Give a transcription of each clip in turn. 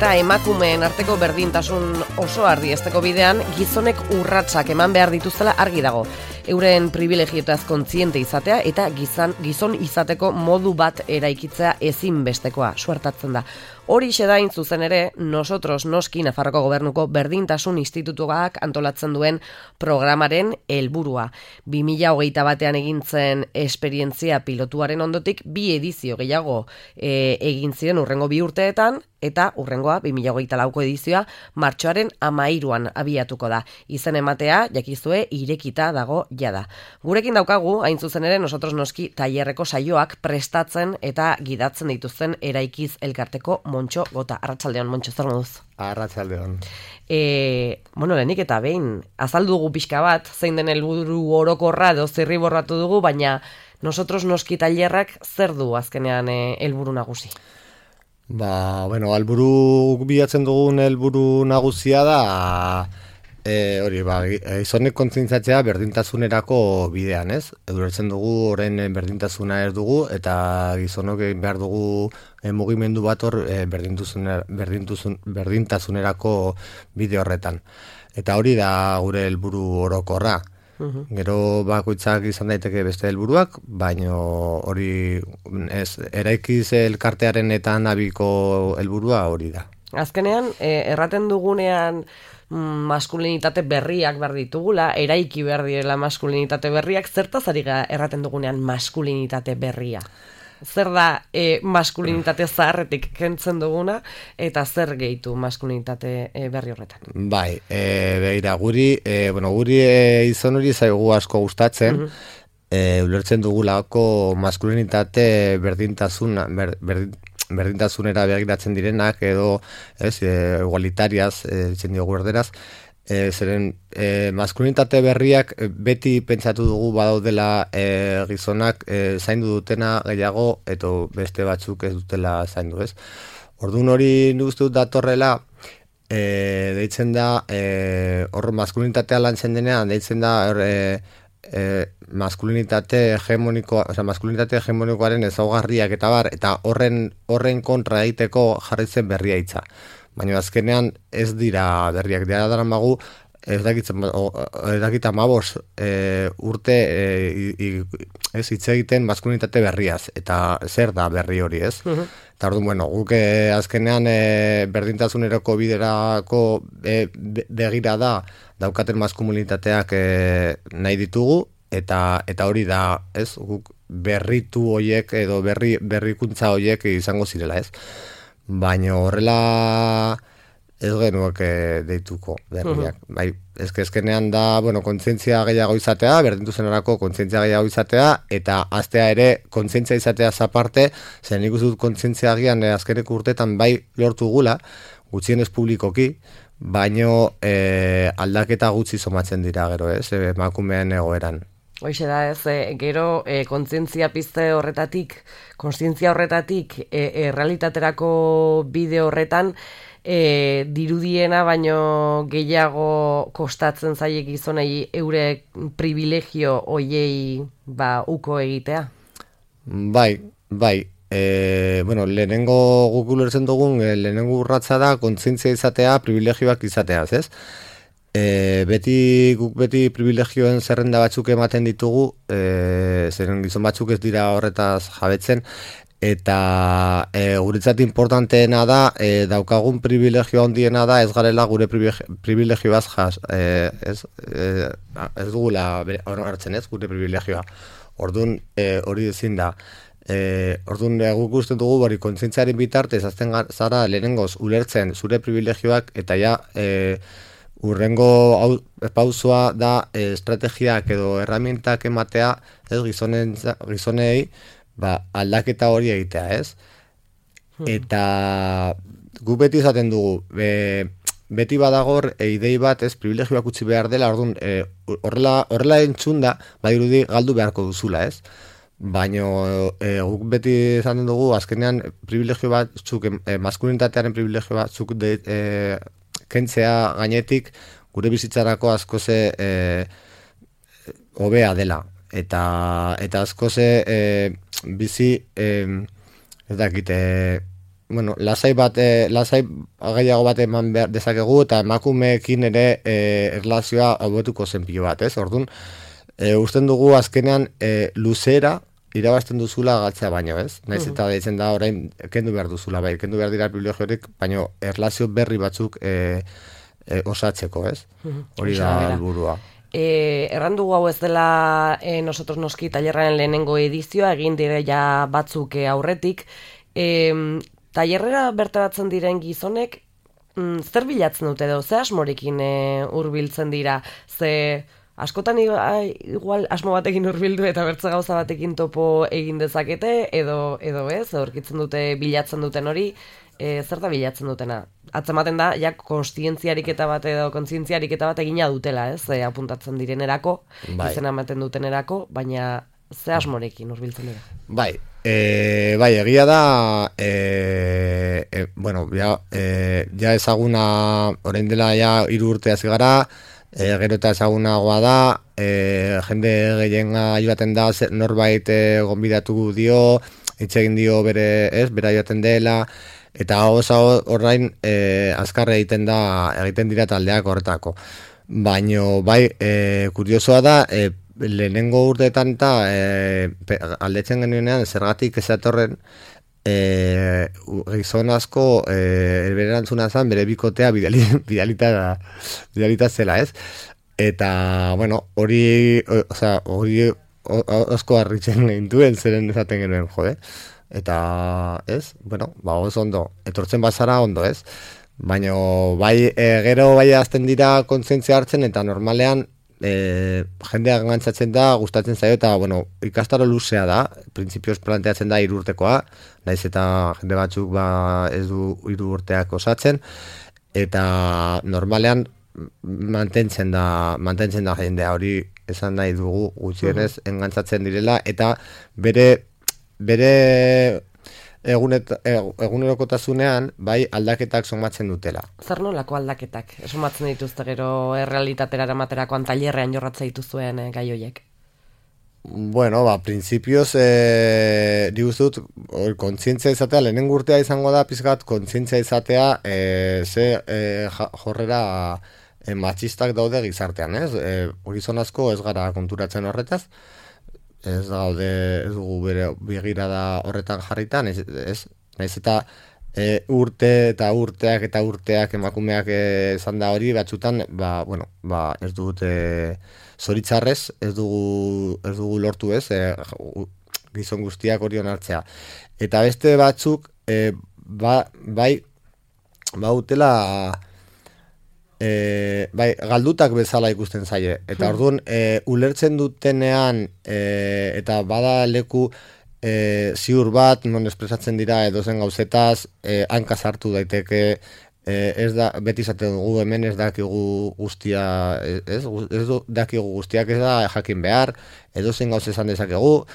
eta emakumeen arteko berdintasun oso ardiesteko bidean gizonek urratsak eman behar dituztela argi dago. Euren privilegiotaz kontziente izatea eta gizon izateko modu bat eraikitzea ezinbestekoa suertatzen da. Horixe da hain zuzen ere, Nosotros noski Nafarroko Gobernuko Berdintasun Institutuak antolatzen duen programaren helburua. 2021 egin zen esperientzia pilotuaren ondotik 2 edizio gehiago egin ziren hurrengo 2 urteetan, eta hurrengoa 2024ko edizioa martxoaren 13an abiatuko da. Izen ematea, jakizue, irekita dago jada. Gurekin daukagu, hain zuzen ere, Nosotros noski tailerreko saioak prestatzen eta gidatzen dituzten eraikiz elkarteko Montxo Gota. Arratsaldeon, Montxo, zer moduz? Arratsaldeon. Lehenik eta behin, azaldu dugu pixka bat, zein den helburu orokorra edo zirriborratu dugu, baina Nosotros noski tailerrak zer du azkenean helburu nagusi? Helburu bilatzen dugun helburu nagusia da gizonek kontzientziatzea berdintasunerako bidean, ez? Ulertzen dugu orain berdintasuna ez dugu eta gizonok behar dugu mugimendu bat hor berdintasunerako bide horretan. Eta hori da gure helburu orokorra. Gero bakoitzak izan daiteke beste helburuak, baina hori eraikiz elkartearen eta nabiko helburua hori da. Azkenean, erraten dugunean maskulinitate berriak behar ditugula, eraiki behar direla maskulinitate berriak, zertaz ari erraten dugunean maskulinitate berria? Zer da maskulinitate zaharretik kentzen duguna, eta zer gehitu maskulinitate berri horretan? Begira, guri izan hori zaigu asko gustatzen, ulertzen dugulako maskulinitate berdintasunera begiratzen direnak, edo igualitariaz, ditzen diogu erderaz, zeren maskulinitate berriak beti pentsatu dugu badaudela gizonak zaindu dutena gehiago eta beste batzuk ez dutela zaindu, ez? Orduan hori uste dut datorrela deitzen da hor maskulinitatea lantzen denean deitzen da maskulinitate hegemonikoaren ezaugarriak eta bar, eta horren kontra egiteko jarri zen berria hitza. Baina azkenean ez dira berriak dira daramagu, ez dakit 15 urte hitz egiten maskulinitate berriaz, eta zer da berri hori, ez? Eta orduan, guk azkenean berdintasunerako biderako begira da daukaten maskulinitateak nahi ditugu, eta hori da, ez? Guk berritu hoiek edo berrikuntza hoiek izango zirela, ez? Baina horrela ez genuak deituko berriak. Ezkenean da, kontzientzia gehiago izatea, berdintasunarako kontzientzia gehiago izatea, eta aztea ere kontzientzia izatea zaparte, zen nik uste dut kontzientzia agian azkeneko urtetan bai lortu gula, gutxienez publikoki, baino aldaketa gutxi somatzen dira gero, ez, emakumeen egoeran. Hoixe da, ez, gero kontzientzia pizte horretatik, errealitaterako bide horretan, dirudiena baino gehiago kostatzen zaie gizonei eure privilegio hoiei uko egitea? Lehenengo guk ulertzen dugun, lehenengo urratsa da kontzientzia izatea, privilegioak izateaz, ez? Guk beti privilegioen zerrenda batzuk ematen ditugu, zeren gizon batzuk ez dira horretaz jabetzen, eta guretzat importanteena da, daukagun privilegio handiena da, ez garela gure privilegioaz ez dugula hartzen, ez, gure privilegioa. Orduan, hori ezin da. Orduan, guk uste dugu, kontzientziaren bitartez, azten zara lehenengoz ulertzen zure privilegioak, eta ja, urrengo pausoa da estrategiak edo erramientak ematea, ez, gizonei, aldaketa hori egitea, ez? Eta gu beti izaten dugu, beti badagor idei bat, ez, privilegioak utzi behar dela, orduan, horrela entzunda, badirudi galdu beharko duzula, ez? Baina guk beti izaten dugu, azkenean privilegio batzuk, maskulinitatearen privilegio batzuk kentzea gainetik gure bizitzarako askoze hobea dela. Eta askoze bizi ez dakite bueno, lasai gehiago bat eman behar dezakegu, eta emakumeekin ere erlazioa hobetuko zen pilo bat, ez? Orduan, usten dugu azkenean luzera irabazten duzula galtzea baino, ez? Naiz eta deitzen da orain kendu behar duzula, bai, kendu behar dira privilegiorik, baino erlazio berri batzuk osatzeko, ez? Hori da helburua. Errandugu hau ez dela nosotros noski tailerraren lehenengo edizioa, egin dire ja batzuk aurretik. Tailerrera bertaratzen diren gizonek zer bilatzen dute edo, ze asmorekin hurbiltzen dira, ze askotan igual asmo batekin hurbildu eta bertze gauza batekin topo egin dezakete, edo ez, aurkitzen dute bilatzen duten hori, zer da bilatzen dutena? Atzematen da, ja, kontzientziariketa bat edo kontzientziariketa bat egina dutela, ez? Apuntatzen direnerako, izena ematen dutenerako, baina ze asmorekin hurbiltzen dira? Bai, egia da, bueno, ja ezaguna, orain dela ja 3 urte hasi gara, gero eta ezagunagoa da, jende gehienga joaten da, norbait gonbidatu dio, hitz egin dio bera joaten dela, eta orain azkarre egiten dira taldeak horretako. Baino, bai, kuriosoa da, lehenengo urteetan eta aldetzen genuenean zergatik ezatorren gizon asko berantzuna zen bere bikotea bidalita zela, ez? Eta, bueno, hori asko harritzen gintuen zeren ezaten genuen, jode. Eta, ez? Bueno, oso ondo, etortzen bazara ondo, ez? Baina, bai, gero bai azten dira kontzientzia hartzen, eta normalean jendeak gantzatzen da, gustatzen zaio, eta, bueno, ikastaro luzea da, printzipioz planteatzen da 3 urtekoa, naiz eta jende batzuk ez du 3 urteak osatzen, eta normalean mantentzen da jendea, hori esan nahi dugu gutxienez engantzatzen direla, eta bere egunerokotasunean bai aldaketak somatzen dutela. Zer nolako aldaketak somatzen dituzte gero errealitatera eramaterakoan tailerrean jorratzen dituzuen gai horiek? Bueno, printzipioz nik uste dut kontzientzia izatea, lehenengo urtea izango da pizkat kontzientzia izatea jorrera matxistak daude gizartean, ez? Gizon asko ez gara konturatzen horretaz, ez dugu bere begirada horretan jarritan, naiz eta urte eta urteak emakumeak izan da hori, batzutan, ez dut zoritzarrez, ez dugu lortu, ez, gizon guztiak hori onartzea. Eta beste batzuk, utela, galdutak bezala ikusten zaie. Eta orduan, ulertzen dutenean, eta bada leku ziur bat, non espresatzen dira edozen gauzetaz, hanka sartu daiteke, ez da, beti izaten dugu hemen ez dakigu guztia, ez dakigu guztiak ez da jakin behar, edozen gauz esan dezakegu,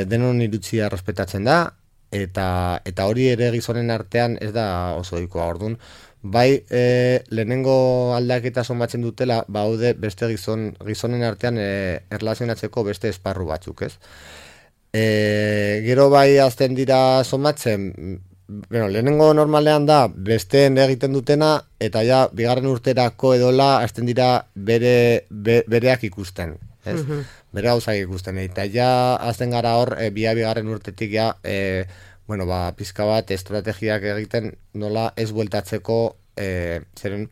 denon irutzia respetatzen da, eta hori ere gizonen artean ez da oso ohikoa. Orduan, bai, lehenengo aldaketa somatzen dutela, baude beste gizonen artean erlazionatzeko beste esparru batzuk, ez? Gero bai azten dira somatzen, lehenengo normalean da besteen egiten dutena, eta ja, bigarren urterako edola azten dira bereak ikusten, ez? Bere gauzak ikusten, eta ja azten gara hor, bigarren urtetik ja, pizka bat estrategiak egiten nola ez bueltatzeko, zeren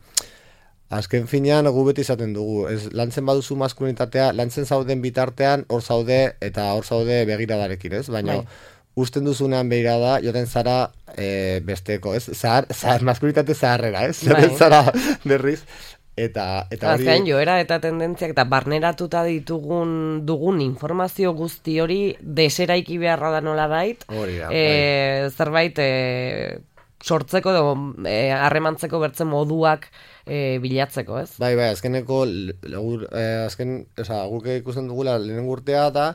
azken finean gu beti izaten dugu, lantzen baduzu maskulinitatea, lantzen zauden bitartean hor zaude eta hor zaude begiradarekin, ez? Baina usten duzunean begirada, joten zara besteko, ez? Maskulinitate zaharrera, ez? Zara berriz. Eta hori... Azkenean joera eta tendentziak eta barneratuta dugun informazio guzti hori deseraiki beharra da nola bait, zerbait sortzeko edo harremantzeko bertzen moduak bilatzeko, ez? Bai, azkeneko guk ikusten dugula lehenengo urtea da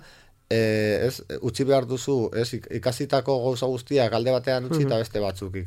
utzi behar duzu, ikasitako gauza guztiak alde batean utzi eta beste batzuk